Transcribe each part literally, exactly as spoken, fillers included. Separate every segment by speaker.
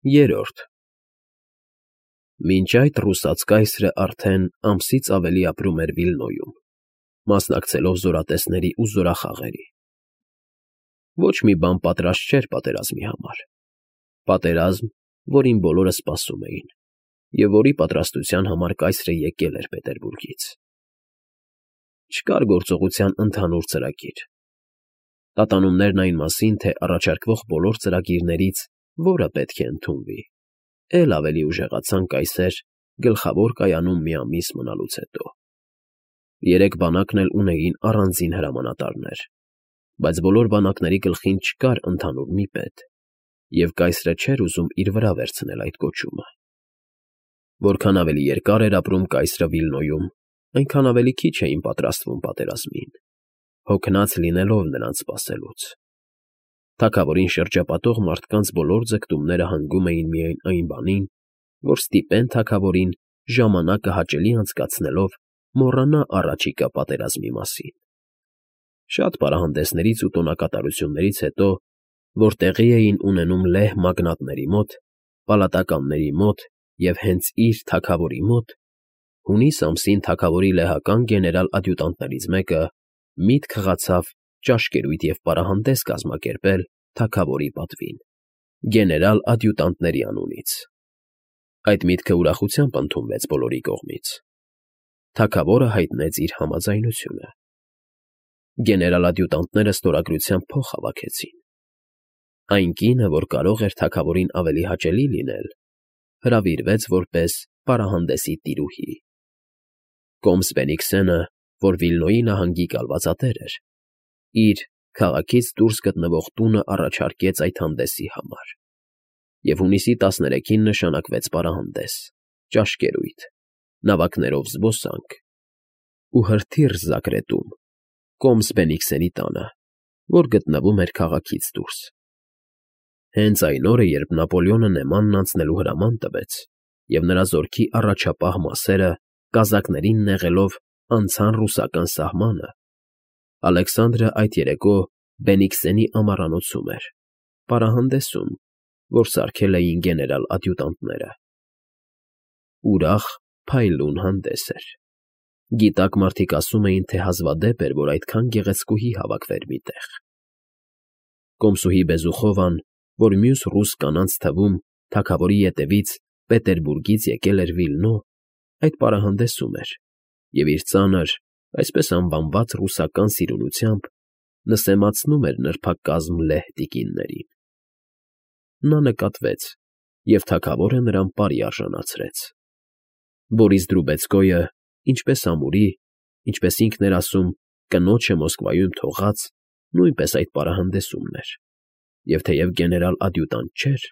Speaker 1: Երրորդ Մինչ այդ ռուսաց կայսրը արդեն ամսից ավելի ապրում էր Վիլնոյում, մասնակցելով զորատեսների ու զորախաղերի. ոչ մի բան պատրաստ չէր պատերազմի համար, պատերազմ, որին բոլորը սպասում էին, և որի պատրաստության համար կայսրը եկել էր Պետերբուրգից. չկար գործողության ընդհանուր ծրագիր, տատանումներն այն մասին, թե առաջարկվող բոլոր ծրագիրներից որը պետք է ընդունվի, էլ ավելի ուժեղացան կայսեր Գլխավոր կայանում մի ամիս մնալուց հետո. երեք բանակն էլ ունեին առանձին հրամանատարներ, բայց բոլոր բանակների գլխին չկար ընդհանուր մի պետ, և կայսրը չէր ուզում իր վրա վերցնել այդ կոչումը. որքան ավելի երկար էր ապրում կայսրը Վիլնոյում, այնքան ավելի քիչ էին պատրաստվում պատերազմին, հոգնած լինելով նրանց սպասելուց. թագավորին շրջապատող մարդկանց բոլոր ձգտումները հանգում էին միայն այն բանին, որ ստիպեն թագավորին ժամանակը հաճելի անցկացնելով մոռանա առաջիկա պատերազմի մասին. շատ պարահանդեսներից ու տոնակատարություններից հետո, որ տեղի էին ունենում լեհ մագնատների մոտ, պալատականների մոտ և հենց իր թագավորի մոտ, հունիս ամսին թագավորի լեհական գեներալ֊ադյուտանտներից մեկը միտք խղացավ ճաշկերույթ և պարահանդես կազմակերպել թագավորի պատվին, գեներալ֊ադյուտանտների անունից. այդ միտքը ուրախությամբ ընդունվեց բոլորի կողմից. թագավորը հայտնեց իր համաձայնությունը. գեներալ֊ադյուտանտները ստորագրությամբ փող հավաքեցին. այն կինը, որ կարող էր թագավորին ավելի հաճելի լինել, հրավիրվեց որպես պարահանդեսի տիրուհի. Կոմս Բենիքսենը, որ Վիլնոյի նահանգի կալվածատեր էր, իր քաղաքից դուրս գտնվող տունը առաջարկեց այդ հանդեսի համար, և հունիսի տասներեքին նշանակվեց պարահանդես, ճաշկերույթ, նավակներով զբոսանք ու հրթիռ Զագրետում, Կոմս Բենիքսենի տանը, որ գտնվում էր քաղաքից դուրս. հենց այն օրը, երբ Նապոլեոնը Նեմանն անցնելու հրաման տվեց, և նրա զորքի առաջապահ մասերը կազակներին նեղելով անցան ռուսական սահմանը, Ալեքսանդրը այդ երեկո Բենիքսենի ամառանոցում էր, պարահանդեսում, որ սարքել էին գեներալ֊ադյուտանտները. ուրախ, փայլուն հանդես էր. գիտակ մարդիկ ասում էին, թե հազվադեպ էր, որ այդքան գեղեցկուհի հավաքվեր մի տեղ. Կոմսուհի Բեզուխովան, որ մյուս ռուս կանանց թվում թագավորի ետևից Պետերբուրգից եկել էր Վիլնո, այդ պարահանդեսում էր և իր ծանր, այսպես անվանված ռուսական սիրունությամբ նսեմացնում էր նրբակազմ լեհ տիկիններին. նա նկատվեց, և թագավորը նրան պարի արժանացրեց. Բորիս Դրուբեցկոյը, ինչպես ամուրի, ինչպես ինքն էր ասում, կնոջը Մոսկվայում թողած, նույնպես այդ պարահանդեսումն էր, և թեև գեներալ֊ադյուտանտ չէր,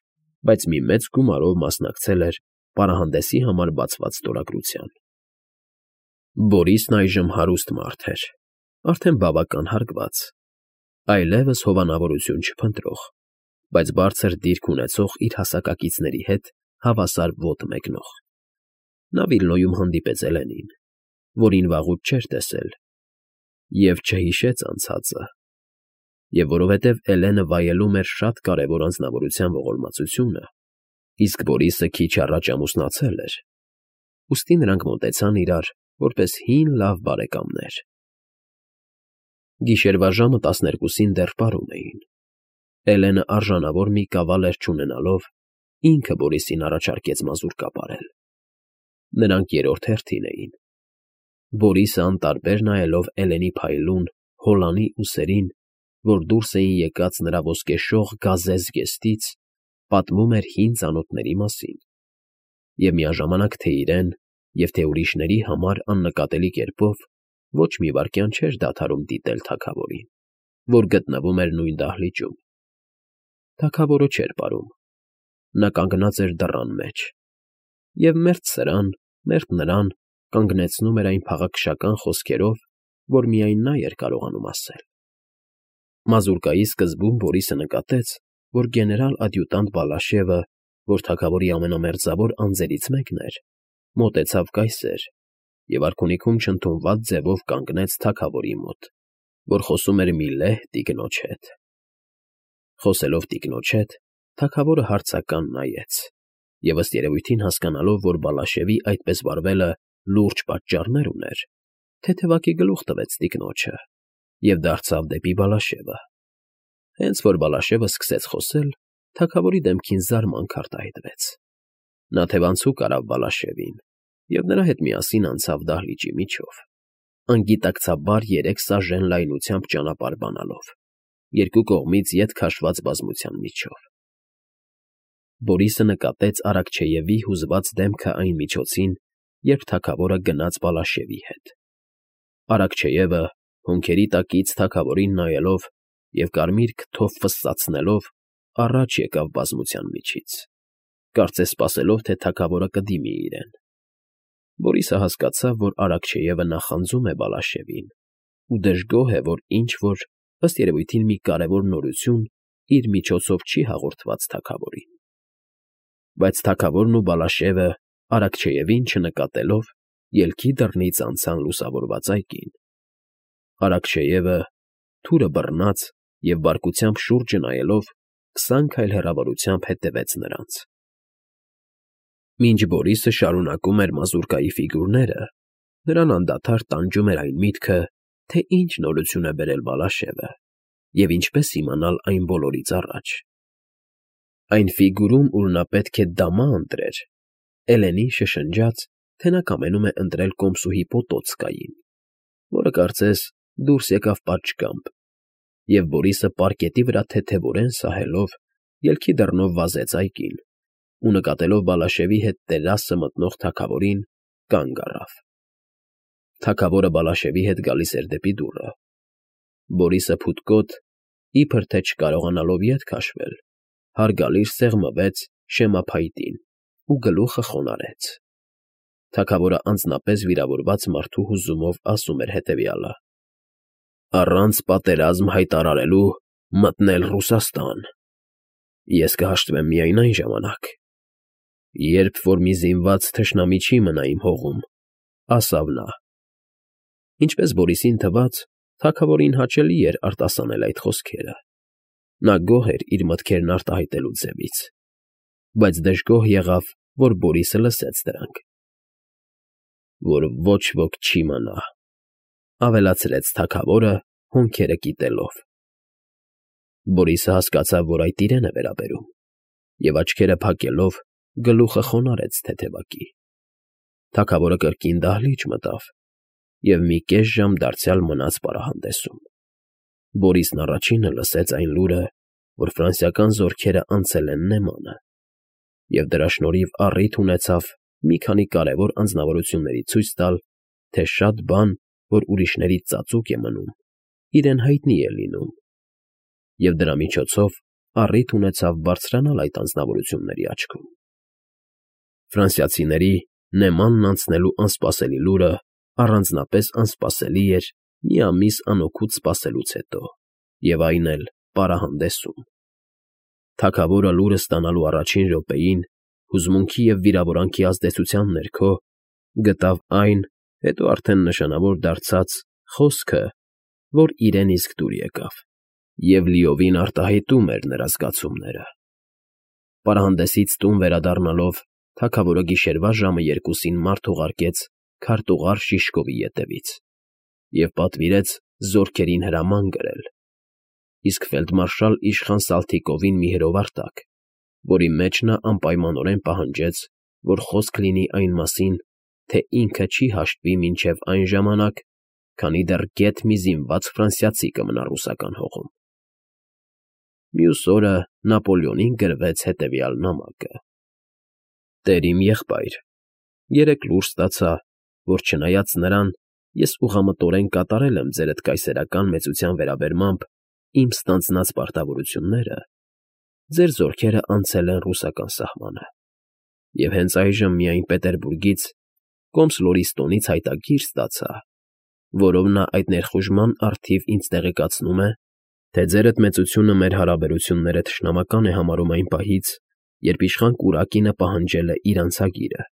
Speaker 1: բայց մի մեծ գումարով մասնակցել էր պարահանդեսի համար բացված ստորագրության. Բորիսն այժմ հարուստ մարդ էր, արդեն բավական հարգված, այլևս հովանավորություն չփնտրող, բայց բարձր դիրք ունեցող իր հասակակիցների հետ հավասար ոտ մեկնող. նա Վիլնոյում հանդիպեց Էլենին, որին վաղուց չէր տեսել, և չհիշեց անցածը, և որովհետև Էլենը վայելում էր շատ կարևոր անձնավորության ողորմածությունը, իսկ Բորիսը քիչ առաջ ամուսնացել էր, ուստի նրանք մոտեցան իրար որպես հին լավ բարեկամներ. Գիշերվա ժամը տասներկուսին դեռ պարում էին. Էլենը արժանավոր մի կավալեր չունենալով, ինքը Բորիսին առաջարկեց մազուր կապարել. նրանք երրորդ հերթին էին. Բորիսը անտարբեր նայելով Էլենի փայլուն, հոլանի ուսերին, որ դուրս էին եկած նրա ոսկեշող գազե զգեստից, պատմում էր հին ծանոթների մասին, և միաժամանակ թե իրեն և թե ուրիշների համար աննկատելի կերպով ոչ մի վայրկյան չէր դադարում դիտել թագավորին, որ գտնվում էր նույն դահլիճում. թագավորը չէր պարում, նա կանգնած էր դռան մեջ, և մերթ սրան, մերթ նրան կանգնեցնում էր այն փաղաքշական խոսքերով, որ միայն նա էր կարողանում ասել. Մազուրկայի սկզբում Բորիսը նկատեց, որ գեներալ֊ադյուտանտ Բալաշևը, որ թագավորի ամենամերձավոր անձերից մեկն էր, մոտեցավ կայսեր և արքունիքում չընդունված ձևով կանգնեց թագավորի մոտ, որ խոսում էր մի լեհ տիկնոջ հետ. խոսելով տիկնոջ հետ, թագավորը հարցական նայեց և, ըստ երևույթին հասկանալով, որ Բալաշևի այդպես վարվելը լուրջ պատճառներ ուներ, թեթևակի գլուխ տվեց տիկնոջը և դարձավ դեպի Բալաշևը։ Հենց որ Բալաշևը սկսեց խոսել, թագավորի դեմքին զարմանք արտահայտվեց։ Նա թևանցուկ արավ Բալաշևին և նրա հետ միասին անցավ դահլիճի միջով, անգիտակցաբար երեք սաժեն լայնությամբ ճանապարհ բանալով, երկու կողմից ետ քաշված բազմության միջով։ Բորիսը նկատեց Արաքչեևի հուզված դեմքը այն միջոցին, երբ թագավորը գնաց Բալաշևի հետ։ Արաքչեևը, հոնքերի տակից թագավորին նայելով և կարմիր քթով ֆսսացնելով, առաջ եկավ բազմության միջից, կարծես սպասելով, թե թագավորը կդիմի իրեն։ Բորիսը հասկացավ, որ Արաքչեևը նախանձում է Բալաշևին ու դժգոհ է, որ ինչ֊որ, ըստ երևույթին, մի կարևոր նորություն իր միջոցով չի հաղորդված թագավորին։ Բայց թագավորն ու Բալաշևը, Արաքչեևին չնկատելով, ելքի դռնից անցան լուսավորված այգին։ Արաքչեևը, թուրը բռնած և բարկությամբ շուրջը նայելով, քսան քայլ հեռավորությամբ հետևեց նրանց։ Մինչ Բորիսը շարունակում էր մազուրկայի ֆիգուրները, նրան անդադար տանջում էր այն միտքը, թե ինչ նորություն է բերել Բալաշևը և ինչպես իմանալ այն բոլորից առաջ։ Այն ֆիգուրում, ուր նա պետք է դամա ընտրեր, Էլենին շշնջաց, թե նա կամենում է ընտրել կոմսուհի Պոտոցկային, որը, կարծես, դուրս եկավ պատշգամբ, և Բորիսը պարկետի վրա թեթևորեն սահելով, ելքի դռնով վազեց այգին ու, նկատելով Բալաշևի հետ տերասը մտնող թագավորին, կանգ առավ։ Թագավորը Բալաշևի հետ գալիս էր դեպի դուռը։ Բորիսը փութկոտ, իբր թե չկարողանալով ետ քաշվել, հարգալից սեղմվեց շեմափայտին ու գլուխը խոնարհեց։ Թագավորը անձնապես վիրավորված մարդու հուզումով ասում էր հետևյալը. «Առանց պատերազմ հայտարարելու մտնել Ռուսաստան։ Ես կհաշտվեմ միայն այն ժամանակ, երբ որ մի զինված թշնամի չի մնա իմ հողում», ասավ նա։ Ինչպես Բորիսին թվաց, թագավորին հաճելի էր արտասանել այդ խոսքերը։ Նա գոհ էր իր մտքերն արտահայտելու ձևից, բայց դժգոհ եղավ, որ Բորիսը լսեց դրանք։ «Որ ոչ ոք չի մնա», ավելացրեց թագավորը, հոնքերը կիտելով։ Բորիսը հասկացավ, որ այդ իրեն է վերաբերում, և աչքերը փակելով, գլուխը խոնարհեց թեթևակի։ Թագավորը կրկին դահլիճ մտավ և մի կես ժամ դարձյալ մնաց պարահանդեսում։ Բորիսն առաջինը լսեց այն լուրը, որ ֆրանսիական զորքերը անցել են Նեմանը, և դրա շնորհիվ առիթ ունեցավ մի քանի կարևոր անձնավորությունների ցույց տալ, թե շատ բան, որ ուրիշներից ծածուկ է մնում, իրեն հայտնի է լինում, և դրա միջոցով առիթ ունեցավ բարձրանալ այդ անձնավորությունների աչքում։ Ֆրանսիացիների Նեմանն անցնելու անսպասելի լուրը առանձնապես անսպասելի էր մի ամիս անօգուտ սպասելուց հետո, և այն էլ պարահանդեսում։ Թագավորը լուրը ստանալու առաջին րոպեին, հուզմունքի և վիրավորանքի ազդեցության ներքո, գտավ այն, հետո արդեն նշանավոր դարձած, խոսքը, որ իրեն իսկ դուր եկավ և լիովին արտահայտում էր նրա զգացումները։ Պարահանդեսից տուն վերադառնալով, թագավորը գիշերվա ժամը երկուսին մարդ ուղարկեց քարտուղար Շիշկովի ետևից և պատվիրեց զորքերին հրաման գրել, իսկ ֆելդմարշալ իշխան Սալթիկովին մի հրովար տաք, որի մեջ նա անպայմանորեն պահանջեց, որ խոսք լինի այն մասին, թե ինքը չի հաշտվի մինչև այն ժամանակ, քանի դեռ գեթ մի զինված ֆրանսիացի կմնա ռուսական հողում։ Մյուս օրը Նապոլեոնին գրվեց հետևյալ նամակը. «Տեր իմ եղբայր, երեկ լուր ստացա, որ չնայած նրան, ես ուղղամտորեն կատարել եմ ձերդ կայսերական մեծության վերաբերմամբ իմ ստանձնած պարտավորությունները, ձեր զորքերը անցել են ռուսական սահմանը, և հենց այժմ միայն Պետերբուրգից, Կոմս֊Լորիստոնից հայտագիր ստացա, որով նա այդ ներխուժման առթիվ ինձ տեղեկացնում է, թե ձերդ մեծությունը մեր հարաբերությունները թշնամական է համարում այն պահից, երբ իշխան Կուրակինը պահանջել է իր անցագիրը։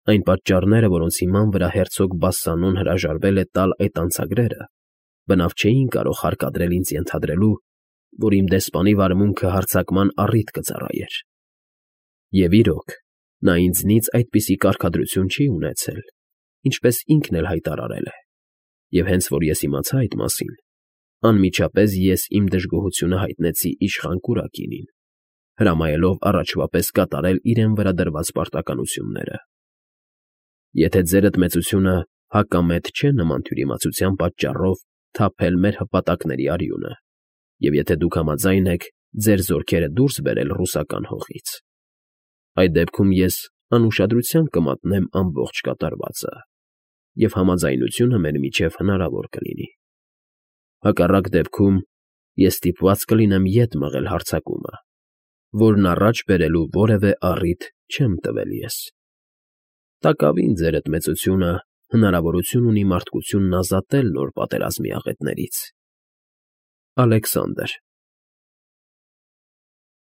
Speaker 1: Այն պատճառները, որոնց հիման վրա հերցոգ Բասսանոն հրաժարվել է տալ այդ անցագրերը, բնավ չէին կարող հարկադրել ինձ ենթադրելու, որ իմ դեսպանի վարմունքը հարձակման առիթ կծառայեր։ Եվ իրոք, նա ինձնից այդպիսի կարգադրություն չի ունեցել, ինչպես ինքն էլ հայտարարել է, և հենց որ ես իմացա այդ մասին, անմիջապես ես իմ դժգոհությունը հայտնեցի իշխան կուրակինին, հրամայելով առաջվա պես կատարել իրեն վրա դրված պարտականությունները։ Եթե ձերդ մեծությունը հակամետ չէ նման թյուրիմացության պատճառով թափել մեր հպատակների արյունը, և եթե դուք համաձայն եք ձեր զորքերը դուրս բերել ռուսական հողից, այդ դեպքում ես անուշադրությամբ կմատնեմ ամբողջ կատարվածը, և համաձայնությունը մեր միջև հնարավոր կլինի։ Հակառակ դեպքում ես ստիպված կլինեմ ետ մղել հարձակումը, որն առաջ բերելու որևէ առիթ չեմ տվել ես։ Տակավին ձերդ մեծությունը հնարավորություն ունի մարդկությունն ազատել նոր պատերազմի աղետներից։ Ալեքսանդր։